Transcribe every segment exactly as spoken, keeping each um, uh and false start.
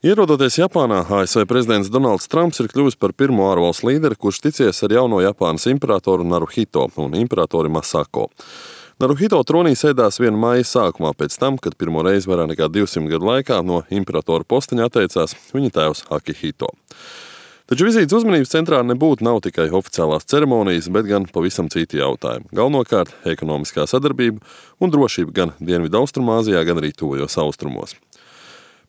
Ierodoties Japānā, A S V prezidents Donalds Trumps ir kļuvis par pirmo ārvalstu līderi, kurš ticies ar jauno Japānas imperatoru Naruhito un imperatori Masako. Naruhito tronī sēdās viena maija sākumā pēc tam, kad pirmo reizi vairāk nekā divsimt gadu laikā no imperatora posteņa atteicās viņa tēvs Akihito. Taču vizītes uzmanības centrā nebūtu nav tikai oficiālās ceremonijas, bet gan pavisam citi jautājumi. Galvenokārt ekonomiskā sadarbība un drošība gan Dienvidu Austrumāzijā, gan arī tuvajos austrumos.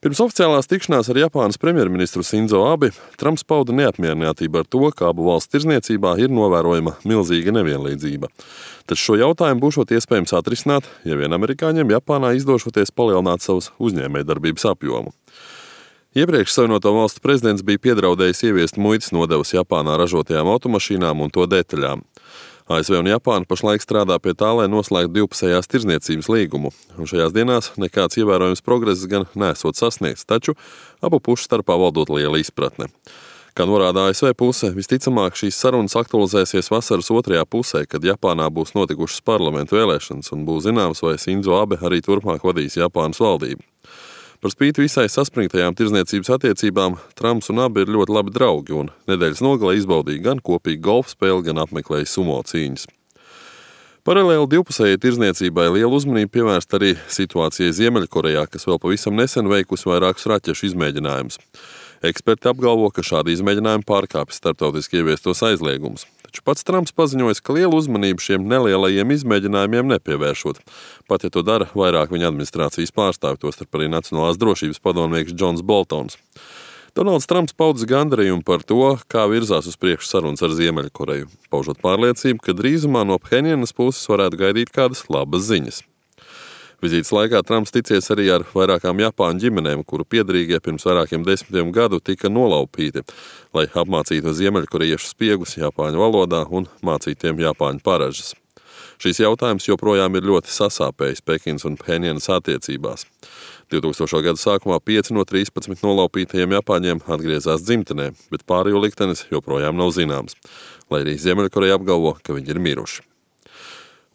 Pirms oficiālās tikšanās ar Japānas premjerministru Sinzo Abe, Trumps pauda neapmierinātību ar to, ka abu valstu tirdzniecībā ir novērojama milzīga nevienlīdzība. Taču šo jautājumu būšot iespējams atrisināt, ja vien amerikāņiem Japānā izdošoties palielināt savus uzņēmējdarbības apjomu. Iepriekš Savienoto valstu prezidents bija piedraudējis ieviest muitas nodevas Japānā ražotajām automašīnām un to detaļām. A S V un Japāna pašlaik strādā pie tā, lai noslēgtu divpusējās tirdzniecības līgumu, un šajās dienās nekāds ievērojams progress gan nesot sasniegts, taču abu pušu starpā valdot liela izpratne. Kā norāda A S V puse, visticamāk šīs sarunas aktualizēsies vasaras otrajā pusē, kad Japānā būs notikušas parlamentu vēlēšanas un būs zināms, vai Sinzo Abe arī turpmāk vadīs Japānas valdību. Par spīti visai saspringtajām tirdzniecības attiecībām, Trumps un Abe ir ļoti labi draugi un nedēļas nogalē izbaudīja gan kopīgu golfa spēli, gan apmeklēja sumo cīņas. Paralēli divpusējai tirdzniecībai lielu uzmanību pievērst arī situācijai Ziemeļkorejā, kas vēl pavisam nesen veikusi vairākus raķešu izmēģinājumus. Eksperti apgalvo, ka šādi izmēģinājumi pārkāpj starptautiski ieviestos aizliegumus. Taču pats Trumps paziņoja, ka lielu uzmanību šiem nelielajiem izmēģinājumiem nepievēršot, pat ja to dara vairāk viņa administrācijas pārstāvji, tostarp arī Nacionālās drošības padomnieks Džons Boltons. Donalds Trumps paudzis gandarījumu par to, kā virzās uz priekšu sarunas ar Ziemeļkoreju, paužot pārliecību, ka drīzumā no Phenjanas puses varētu gaidīt kādas labas ziņas. Vizītes laikā Trumps ticies arī ar vairākām Japāņu ģimenēm, kuru piederīgie pirms vairākiem desmitiem gadu tika nolaupīti, lai apmācītu ziemeļkorejiešu spiegus Japāņu valodā un mācītu tiem Japāņu paražas. Šīs jautājums joprojām ir ļoti sasāpējis Pekinas un Phenjanas attiecībās. divtūkstošo gadu sākumā pieci no trīspadsmit nolaupītajiem Japāņiem atgriezās dzimtenē, bet pārējo liktenis joprojām nav zināms, lai arī Ziemeļkoreja apgalvo, ka viņi ir miruši.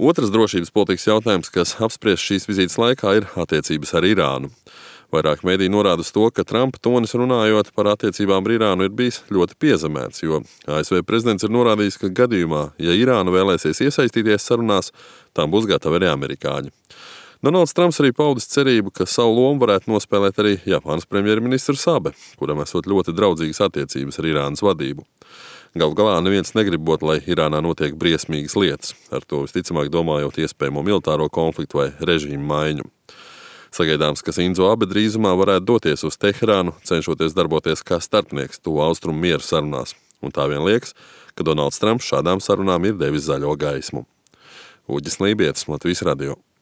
Otrs drošības politikas jautājums, kas apspriests šīs vizītes laikā, ir attiecības ar Irānu. Vairāk mediji norāda uz to, ka Trumpa tonis runājot par attiecībām ar Irānu ir bijis ļoti piezemēts, jo A S V prezidents ir norādījis, ka gadījumā, ja Irāna vēlēsies iesaistīties sarunās, tām būs gatavi arī amerikāņi. Donalds Trumps arī paudis cerību, ka savu lomu varētu nospēlēt arī Japānas premjerministrs Abe, kuram esot ļoti draudzīgas attiecības ar Irānas vadību. Galu galā neviens negrib būt, lai Irānā notiek briesmīgas lietas, ar to visticamāk domājot iespējamo militāro konfliktu vai režīmu maiņu. Sagaidāms, ka Sinzo Abe drīzumā varētu doties uz Teherānu, cenšoties darboties kā starpnieks tuvu austrumu miera sarunās, un tā vien liekas, ka Donalds Trumps šādām sarunām ir devis zaļo gaismu. Uģis Lībietis, Latvijas radio.